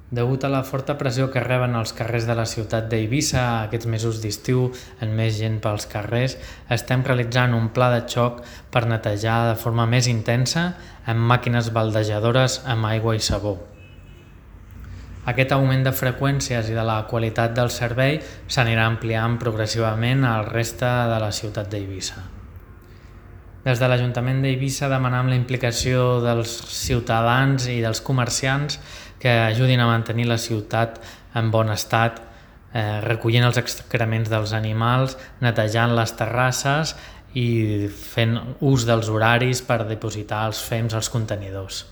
Degut a la forta pressió que reben els carrers de la ciutat d'Eivissa aquests mesos d'estiu, amb més gent pels carrers, estem realitzant un pla de xoc per netejar de forma més intensa amb màquines baldejadores amb aigua i sabó. Aquest augment de freqüències i de la qualitat del servei s'anirà ampliant progressivament al reste de la ciutat d'Eivissa. Des de l'Ajuntament d'Eivissa demanam la implicació dels ciutadans i dels comerciants que ajudin a mantenir la ciutat en bon estat, recollint els excrements dels animals, netejant les terrasses i fent ús dels horaris per dipositar els fems als contenidors.